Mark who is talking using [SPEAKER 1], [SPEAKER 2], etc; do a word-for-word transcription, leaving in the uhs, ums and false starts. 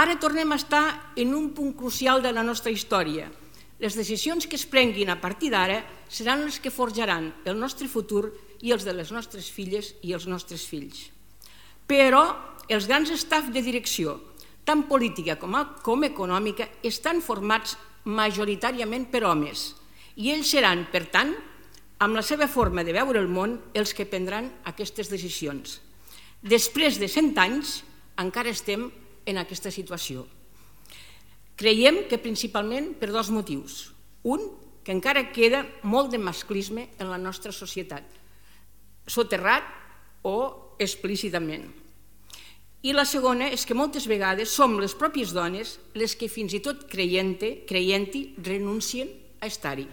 [SPEAKER 1] Ara tornem a estar en un punt crucial de la nostra història. Les decisions que es prenguin a partir d'ara seran les que forjaran el nostre futur i els de les nostres filles i els nostres fills. Però els grans staffs de direcció, tant política com econòmica, estan formats majoritàriament per homes i ells seran, per tant, amb la seva forma de veure el món, els que prendran aquestes decisions. Després de cent anys encara estem en aquesta situació. Creiem que principalment per dos motius. Un, que encara queda molt de masclisme en la nostra societat, soterrat o explícitament. I la segona és que moltes vegades som les pròpies dones les que fins i tot creient-hi renuncien a estar-hi.